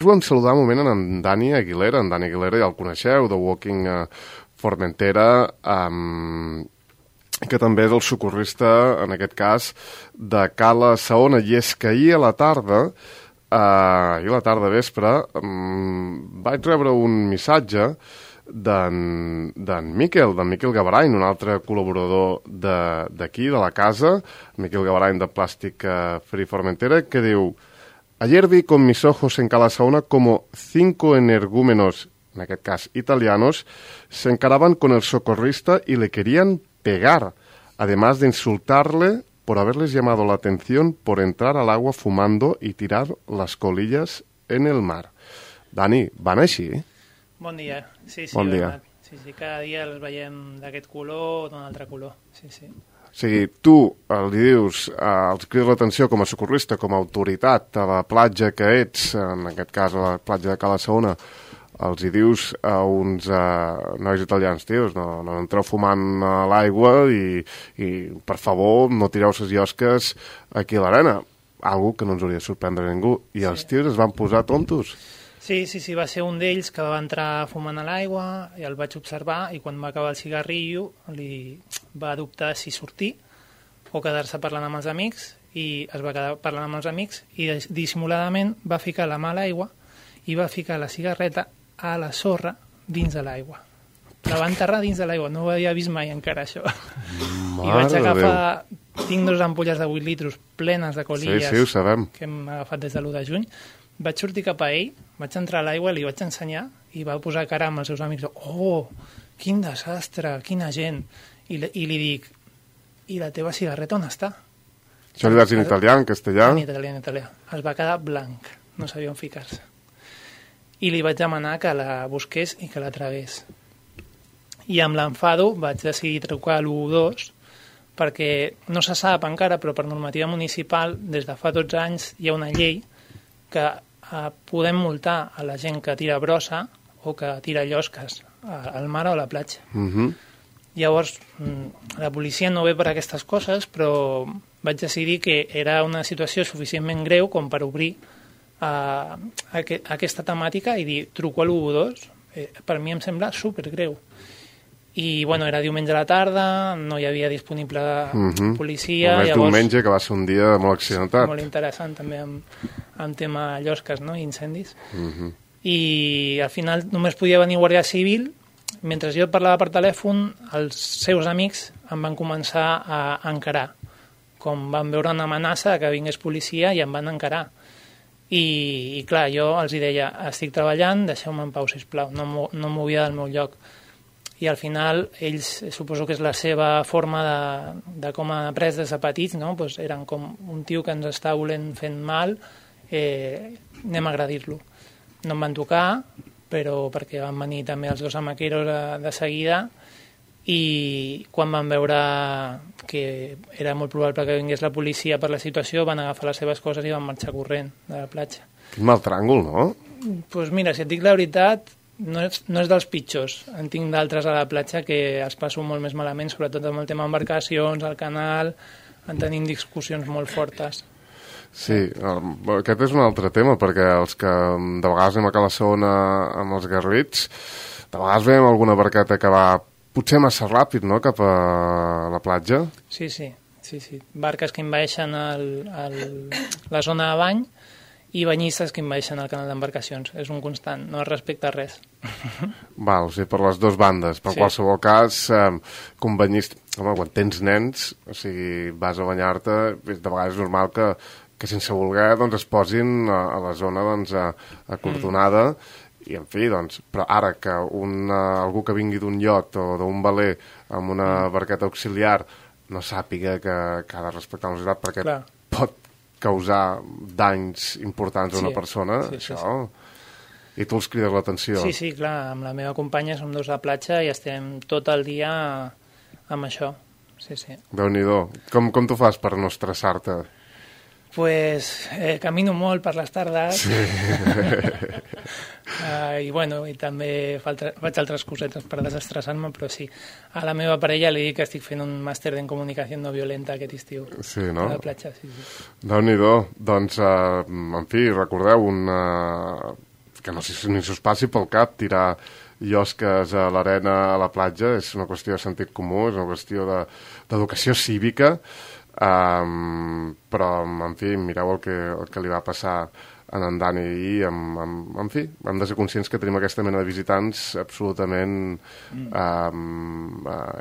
Volem saludar un moment en Dani Aguilera. En Dani Aguilera ja el coneixeu, de Walking Formentera, que també és el socorrista, en aquest cas, de Cala Saona. I és que ahir a la tarda vespre, vaig rebre un missatge d'en Miquel Gavarain, un altre col·laborador d'aquí, de la casa, Miquel Gavarain de Plàstic Free Formentera, que diu: ayer vi con mis ojos en Cala Saona como 5 energúmenos, en aquest cas italianos, se encaraban con el socorrista y le querían pegar, además de insultarle por haberles llamado la atención por entrar al agua fumando y tirar las colillas en el mar. Dani, van així? Bon dia. Sí, bon dia. Sí, cada dia els veiem d'aquest color o d'un altre color. Sí, sí. O sigui, tu li dius, els crides l'atenció com a socorrista, com a autoritat a la platja que ets, en aquest cas a la platja de Cala Saona, els hi dius a uns nois italians: tios, no entreu fumant a l'aigua i per favor no tireu ses llosques aquí a l'arena. Algo que no ens hauria de sorprendre a ningú. I els tios es van posar tontos. Sí, va ser un d'ells que va entrar fumant a l'aigua i el vaig observar, i quan va acabar el cigarrillo li va dubtar si sortir o quedar-se parlant amb els amics, i es va quedar parlant amb els amics i dissimuladament va ficar la mà a l'aigua i va ficar la cigarreta a la sorra dins de l'aigua. La va enterrar dins de l'aigua, no ho havia vist mai encara això. I vaig agafar, tinc 2 ampolles de 8 litros plenes de colilles, sí, ho sabem, que hem agafat des de l'1 de juny. Vaig sortir cap a ell, vaig entrar a l'aigua, li vaig ensenyar i va posar cara amb els seus amics: oh, quin desastre, quina gent. I li dic: i la teva cigarreta on està? Això li vas dir en italià, en castellà? En italià. Es va quedar blanc, no sabia on ficar-se. I li vaig demanar que la busqués i que la tragués. I amb l'enfado vaig decidir trucar a l'112, perquè no se sap encara, però per normativa municipal, des de fa 12 anys hi ha una llei que podem multar a la gent que tira brossa o que tira llosques al mar o a la platja. Llavors, la policia no ve per aquestes coses, però vaig decidir que era una situació suficientment greu com per obrir aquesta temàtica i dir: truco a l'112. Per mi em sembla supergreu. I, bueno, era diumenge a la tarda, no hi havia disponible policia. Només diumenge, que va ser un dia molt accidentat. Molt interessant, també, amb tema llosques, no?, i incendis. I al final només podia venir Guàrdia Civil. Mentre jo parlava per telèfon, els seus amics em van començar a encarar. Com van veure una amenaça que vingués policia, i em van encarar. I clar, jo els deia: estic treballant, deixeu-me en pau, sisplau, no em movia del meu lloc. I al final ells, suposo que és la seva forma de com ha après des de petits, no? Pues eren com un tio que ens està volent fent mal, anem a agredir-lo. No em van tocar, però perquè van venir també els 2 amaqueros de seguida, i quan van veure que era molt probable que vingués la policia per la situació, van agafar les seves coses i van marxar corrent de la platja. Quin mal tràngol, no? Doncs mira, si et dic la veritat, no és dels pitjors. En tinc d'altres a la platja que els passo molt més malament, sobretot amb el tema embarcacions, al canal, en tenim discussions molt fortes. Sí, aquest és un altre tema, perquè els que de vegades anem a Cala Saona amb els garrits, de vegades veiem alguna barqueta que va potser massa ràpid, no?, cap a la platja. Sí. Barques que envaeixen la zona de bany i banyistes que envaeixen el canal d'embarcacions. És un constant, no es respecta res. Val, o sigui, per les 2 bandes. Per qualsevol cas, com banyista, home, quan tens nens, o sigui, vas a banyar-te, de vegades és normal que sense voler doncs, es posin a la zona doncs, acordonada, i en fi, doncs, però ara que algú que vingui d'un iot o d'un veler amb una barqueta auxiliar no sàpiga que ha de respectar la velocitat perquè pot causar danys importants a una persona, això... I tu els crides l'atenció. Sí, clar, amb la meva companya som 2 a platja i estem tot el dia amb això. Sí. Déu-n'hi-do. Com tu fas per no estressar-te? Pues camino molt per les tardes. Sí. I també faig altres cosetes per desestressar-me, però sí. A la meva parella li dic que estic fent un màster en comunicació no violenta aquest estiu. Sí, no? A la platja, sí. Déu-n'hi-do. Doncs, en fi, recordeu, que no ni s'us passi pel cap tirar llosques a l'arena, a la platja, és una qüestió de sentit comú, és una qüestió d'educació cívica, però, en fi, mireu el que li va passar en Dani i, en fi, hem de ser conscients que tenim aquesta mena de visitants absolutament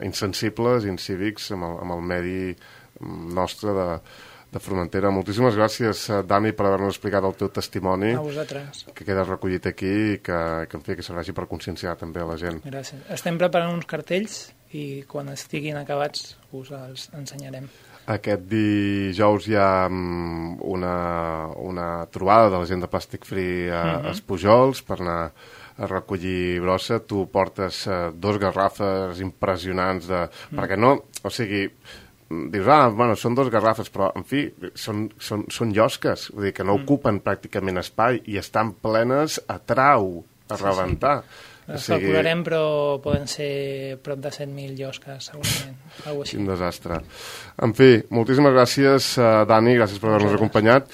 insensibles, incívics amb el medi nostre de Formentera. Moltíssimes gràcies, Dani, per haver-nos explicat el teu testimoni. A vosaltres. Que queda recollit aquí i que en fi, que serveixi per conscienciar també a la gent. Gràcies. Estem preparant uns cartells i quan estiguin acabats us els ensenyarem. Aquest dijous hi ha una trobada de la gent de Plàstic Free a Espujols per anar a recollir brossa. Tu portes 2 garrafes impressionants perquè no, o sigui, dius, bueno, són 2 garrafes, però, en fi, són llosques, vull dir que no ocupen pràcticament espai i estan plenes a trau, a rebentar. Les calcularem, però poden ser prop de 100.000 llosques, segurament. Quin desastre. En fi, moltíssimes gràcies, Dani, gràcies per haver-nos acompanyat.